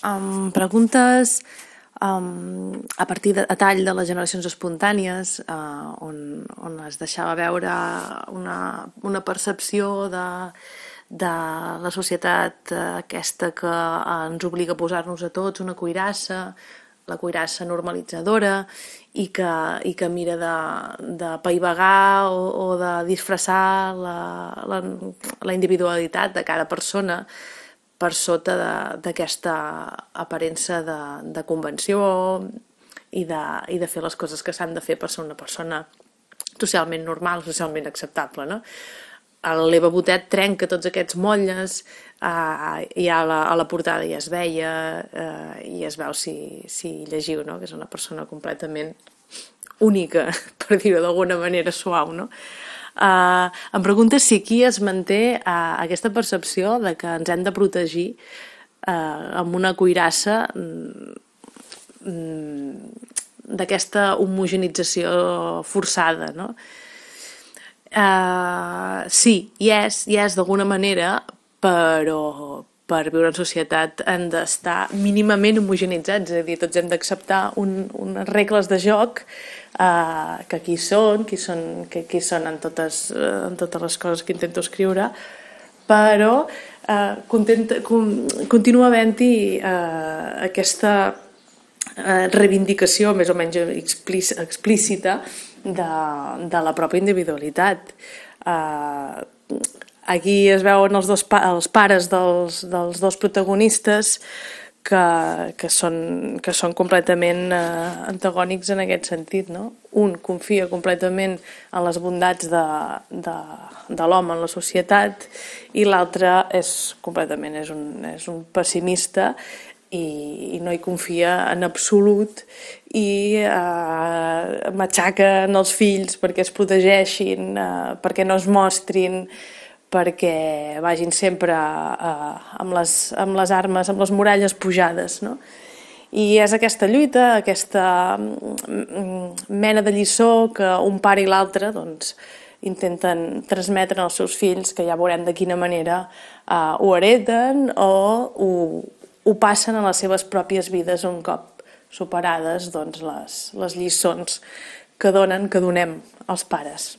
Em preguntes a partir a tall de les generacions espontànies, on es deixava veure una percepció de la societat aquesta que ens obliga a posar-nos a tots una cuirassa, la cuirassa normalitzadora i que mira de paivagar o de disfressar la individualitat de cada persona per sota d'aquesta aparença de convenció i de fer les coses que s'han de fer per ser una persona socialment normal, socialment acceptable, no? L'Eva Botet trenca tots aquests motlles, i a la portada ja es veia, i es veu si llegiu, no? Que és una persona completament única, per dir-ho d'alguna manera suau, no? Em preguntes si aquí es manté aquesta percepció de que ens hem de protegir amb una cuirassa d'aquesta homogenització forçada, no? Sí, hi és d'alguna manera, però per viure en societat hem d'estar mínimament homogenitzats, és a dir, tots hem d'acceptar unes regles de joc que aquí són en totes les coses que intento escriure, però continua havent-hi aquesta reivindicació més o menys explícita de la pròpia individualitat. Aquí es veuen els pares dels dos protagonistes que són completament antagònics en aquest sentit, no? Un confia completament en les bondats de l'home en la societat i l'altre és un pessimista i no hi confia en absolut i matxaca els fills perquè es protegeixin, perquè no es mostrin, perquè vagin sempre amb les armes, amb les muralles pujades, no? I és aquesta lluita, aquesta mena de lliçó que un pare i l'altre doncs, intenten transmetre als seus fills, que ja veurem de quina manera ho hereten o ho passen a les seves pròpies vides un cop superades doncs, les lliçons que donem als pares.